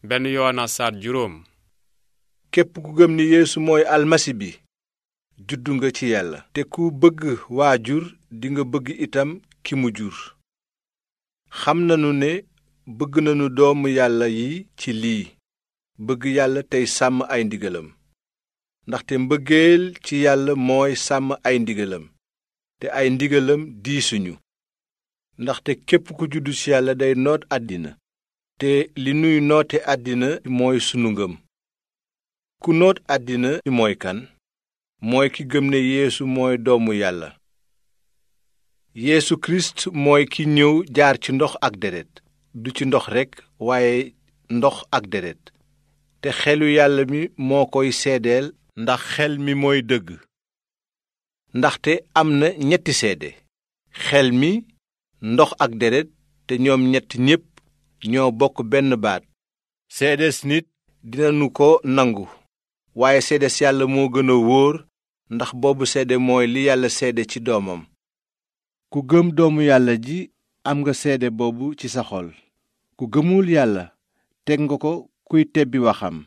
benn Yowaana saar juróom. képp ku gëm ni Yeesu mooy almasi bi juddu nga ci yàlla te ku bëgg waajur dinga bëgg itam ki mu jur. xam nanu ne bëgg nanu doomu yàlla yi ci lii bëgg yàlla tey sàmm ay ndigalam ndaxte mbëggeel ci yàlla mooy sàmm ay ndigalam te ay ndigalam diisuñu ndaxte képp ku juddu ci yàlla day noot àddina te li nuy noote àddina mooy sunu ngëm. ku noot àddina mooy kan mooy ki gëm ne Yeesu mooy doomu yàlla. Yeesu Kirist mooy ki ñëw jaar ci ndox ak deret du ci ndox rekk waaye ndox ak deret te xelu yàlla mi moo koy seedeel ndax xel mi mooy dëgg. ndaxte am na ñetti seede xel mi ndox ak deret te ñoom ñett ñépp ñoo bokk benn baat. seedes nit dinanu ko nangu waaye seedes yàlla moo gën a wóor ndax boobu seede mooy li yàlla seede ci doomam. ku gëm doomu yàlla ji am nga seede boobu ci sa xol. ku gëmul yàlla teg nga ko kuy tebbi waxam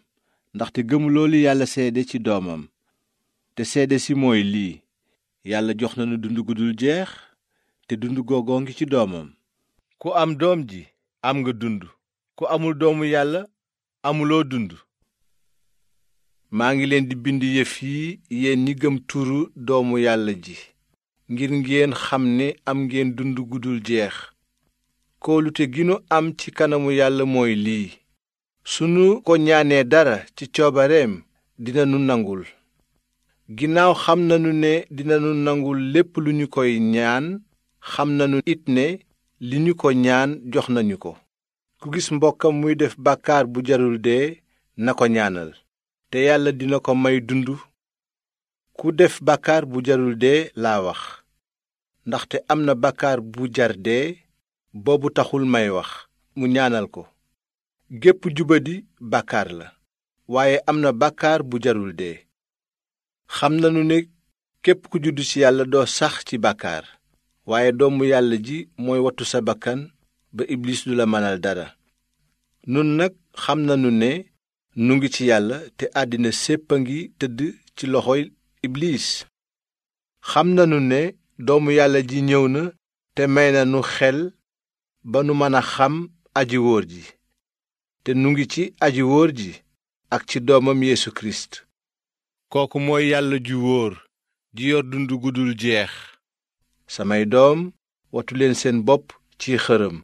ndaxte gëmuloo li yàlla seede ci doomam. te seede si mooy lii yàlla jox nanu dund gu dul jeex te dund googoo ngi ci doomam. ku am doom ji am nga dund ku amul doomu yàlla amuloo dund. maa ngi leen di bind yëf yi yéen ñi gëm turu doomu yàlla ji ngir ngeen xam ne am ngeen dund gu dul jeex. kóolute gi nu am ci kanamu yàlla mooy lii sunu ko ñaanee dara ci coobareem dinanu nangul. ginnaaw xam nanu ne dinanu nangul lépp lu ñu koy ñaan xam nanu it ne li ñu ko ñaan jox nañu ko. ku gis mbokkam muy def bàkkaar bu jarul dee na ko ñaanal te yàlla dina ko may dund. ku def bàkkaar bu jarul dee laa wax ndaxte am na bàkkaar bu jar dee boobu taxul may wax mu ñaanal ko. gépp jubadi bàkkaar la waaye am na bàkkaar bu jarul dee. xam nanu ne képp ku juddu ci yàlla doo sax ci bàkkaar waaye doomu yàlla ji mooy wattu sa bakkan ba iblis du la mënal dara. nun nag xam nanu ne nu ngi ci yàlla te àddina sépp a ngi tëdd ci loxoy iblis. xam nanu ne doomu yàlla ji ñëw na te may na nu xel ba nu mën a xam aji wóor ji te nu ngi ci aji wóor ji ak ci doomam Yeesu Kirist. kooku mooy yàlla ju wóor ji yor dund gu dul jeex. samay doom wattu leen seen bopp ci xërëm.